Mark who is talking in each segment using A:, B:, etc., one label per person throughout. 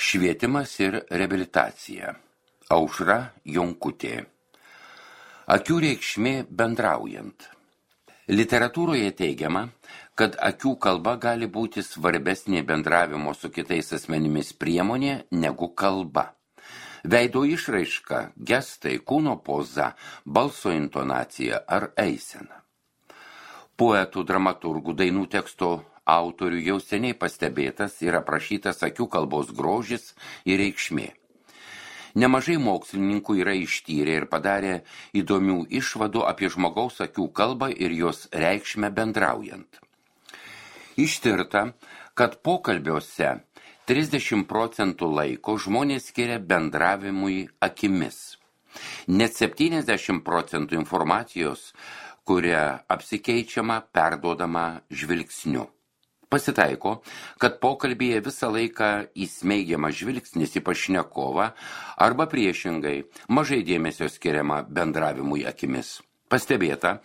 A: Švietimas ir reabilitacija. Aušra Jonkutė. Akių reikšmė bendraujant. Literatūroje teigiama, kad akių kalba gali būti svarbesnė bendravimo su kitais asmenimis priemonė negu kalba. Veido išraiška, gestai, kūno poza, balso intonacija ar eisena. Poetų, dramaturgų, dainų teksto autorių jau seniai pastebėtas ir aprašytas akių kalbos grožis ir reikšmė. Nemažai mokslininkų yra ištyrę ir padarė įdomių išvadų apie žmogaus akių kalbą ir jos reikšmę bendraujant. Ištirta, kad pokalbiuose 30% laiko žmonės skiria bendravimui akimis. Net 70% informacijos, kuria apsikeičiama, perduodama žvilgsniu. Pasitaiko, kad pokalbyje visą laiką įsmeigiama žvilgsnis į pašnekovą arba priešingai mažai dėmesio skiriama bendravimui akimis. Pastebėta,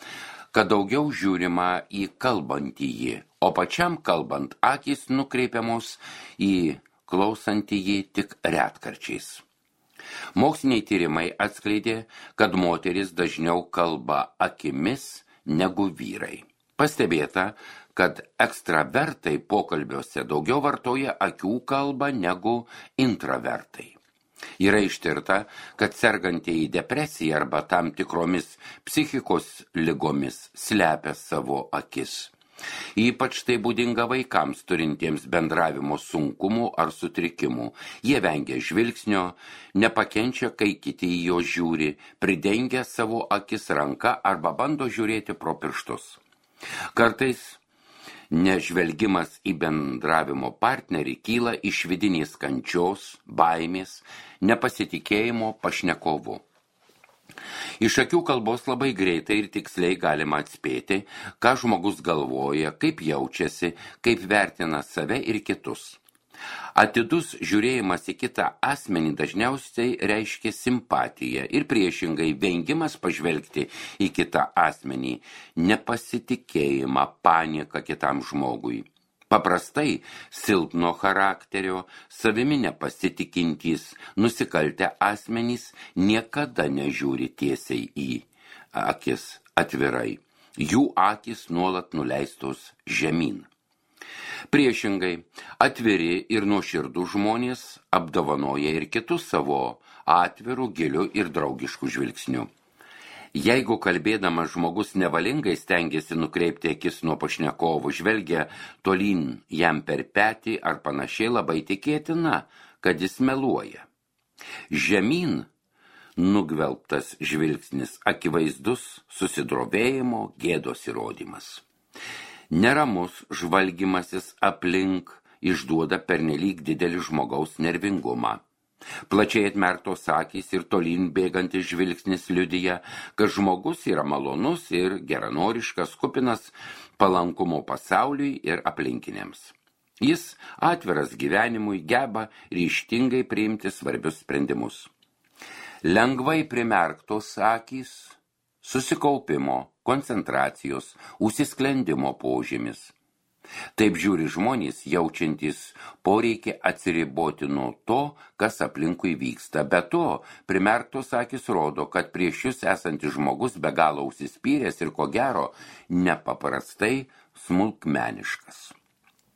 A: kad daugiau žiūrima į kalbantįjį, o pačiam kalbant akys nukreipiamos į klausantįjį tik retkarčiais. Moksliniai tyrimai atskleidė, kad moteris dažniau kalba akimis negu vyrai. Pastebėta, kad ekstravertai pokalbiuose daugiau vartoja akių kalbą negu intravertai. Yra ištirta, kad sergantieji depresija arba tam tikromis psichikos ligomis slepia savo akis. Ypač tai būdinga vaikams turintiems bendravimo sunkumų ar sutrikimų. Jie vengia žvilgsnio, nepakenčia, kai kiti į jo žiūri, pridengia savo akis ranka arba bando žiūrėti pro pirštus. Kartais nežvelgimas į bendravimo partnerį kyla iš vidinės kančios, baimės, nepasitikėjimo pašnekovu. Iš akių kalbos labai greitai ir tiksliai galima atspėti, ką žmogus galvoja, kaip jaučiasi, kaip vertina save ir kitus. Atidus žiūrėjimas į kitą asmenį dažniausiai reiškia simpatiją ir priešingai vengimas pažvelgti į kitą asmenį, nepasitikėjimą, panieką kitam žmogui. Paprastai silpno charakterio, savimi nepasitikintys, nusikaltę asmenys niekada nežiūri tiesiai į akis atvirai. Jų akys nuolat nuleistos žemyn. Priešingai, atviri ir nuoširdų žmonės apdovanoja ir kitus savo atvirų, gilių ir draugiškų žvilgsnių. Jeigu kalbėdamas žmogus nevalingai stengiasi nukreipti akis nuo pašnekovo, žvelgia tolyn jam per petį ar panašiai, labai tikėtina, kad jis meluoja. Žemyn nugvelbtas žvilgsnis akivaizdus susidrovėjimo, gėdos įrodymas. Neramus žvalgymasis aplink išduoda pernelyg didelį žmogaus nervingumą. Plačiai atmerktos akys ir tolyn bėgantis žvilgsnis liudija, kad žmogus yra malonus ir geranoriškas, kupinas palankumo pasauliui ir aplinkiniams. Jis atviras gyvenimui, geba ryžtingai priimti svarbius sprendimus. Lengvai primerktos akys, susikaupimo, koncentracijos, užsisklendimo požymis. Taip žiūri žmonės, jaučiantys poreikį atsiriboti nuo to, kas aplinkui vyksta. Be to, primerktos akys rodo, kad prieš jūs esantis žmogus be galo užsispyręs ir ko gero nepaprastai smulkmeniškas.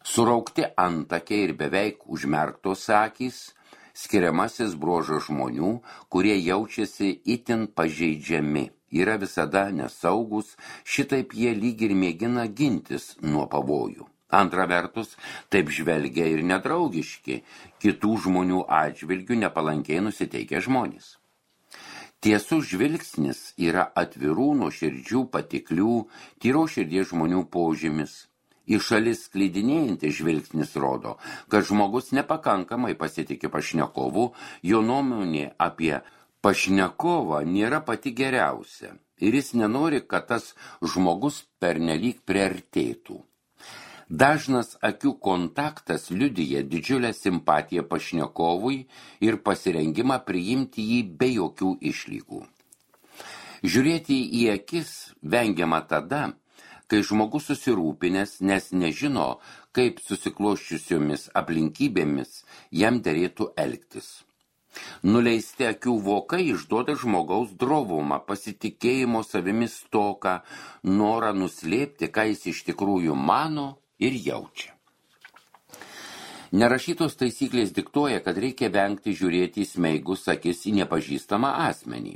A: Suraukti antakiai ir beveik užmerktos akys skiriamasis bruožas žmonių, kurie jaučiasi itin pažeidžiami. Yra visada nesaugus, šitaip jie lyg ir mėgina gintis nuo pavojų. Antra vertus, taip žvelgia ir nedraugiški, kitų žmonių atžvilgių nepalankiai nusiteikę žmonės. Tiesų žvilgsnis yra atvirų, nuoširdžių, patiklių, tyro širdies žmonių požymis. Į šalis sklidinėjantis žvilgsnis rodo, kad žmogus nepakankamai pasitiki pašnekovu, jo nuomonė apie pašnekovą nėra pati geriausia ir jis nenori, kad tas žmogus pernelyg priartėtų. Dažnas akių kontaktas liudija didžiulę simpatiją pašnekovui ir pasirengimą priimti jį be jokių išlygų. Žiūrėti į akis vengiama tada, kai žmogus susirūpinęs, nes nežino, kaip susiklosčiusiomis aplinkybėmis jam derėtų elgtis. Nuleisti akių vokai išduoda žmogaus drovumą, pasitikėjimo savimi stoką, norą nuslėpti, ką jis iš tikrųjų mano ir jaučia. Nerašytos taisyklės diktuoja, kad reikia vengti žiūrėti į smeigus akis į nepažįstamą asmenį.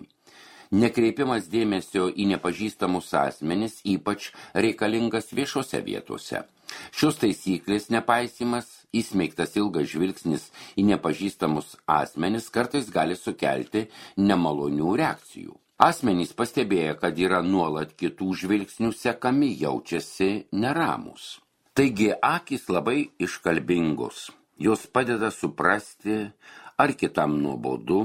A: Nekreipimas dėmesio į nepažįstamus asmenis ypač reikalingas viešose vietose. Šios taisyklės nepaisymas, įsmeigtas ilgas žvilgsnis į nepažįstamus asmenis kartais gali sukelti nemalonių reakcijų. Asmenys pastebėję, kad yra nuolat kitų žvilgsnių sekami, jaučiasi neramus. Taigi akys labai iškalbingos, jos padeda suprasti, ar kitam nuobodu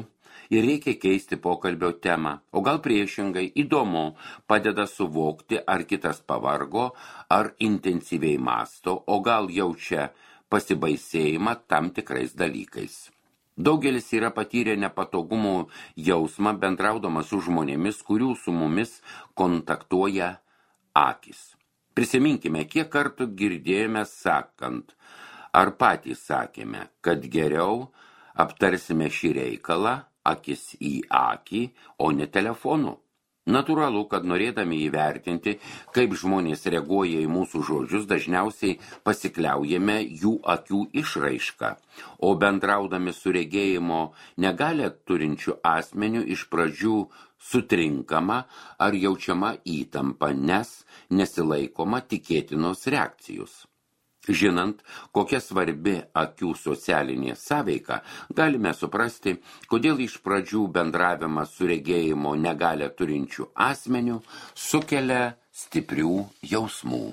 A: ir reikia keisti pokalbio temą, o gal priešingai įdomu padeda suvokti, ar kitas pavargo, ar intensyviai mąsto, o gal jaučia pasibaisėjimą tam tikrais dalykais. Daugelis yra patyrę nepatogumų jausmą bendraudamas su žmonėmis, kurių su mumis kontaktuoja akys. Prisiminkime, kiek kartų girdėjome sakant, ar patys sakėme, kad geriau aptarsime šį reikalą akis į akį, o ne telefonu. Natūralu, kad norėdami įvertinti, kaip žmonės reaguoja į mūsų žodžius, dažniausiai pasikliaujame jų akių išraišką, o bendraudami su regėjimo negalią turinčiu asmeniu iš pradžių sutrinkama ar jaučiama įtampa, nes nesilaikoma tikėtinos reakcijos. Žinant, kokia svarbi akių socialinė sąveika, galime suprasti, kodėl iš pradžių bendravimas su regėjimo negalią turinčių asmenių sukelia stiprių jausmų.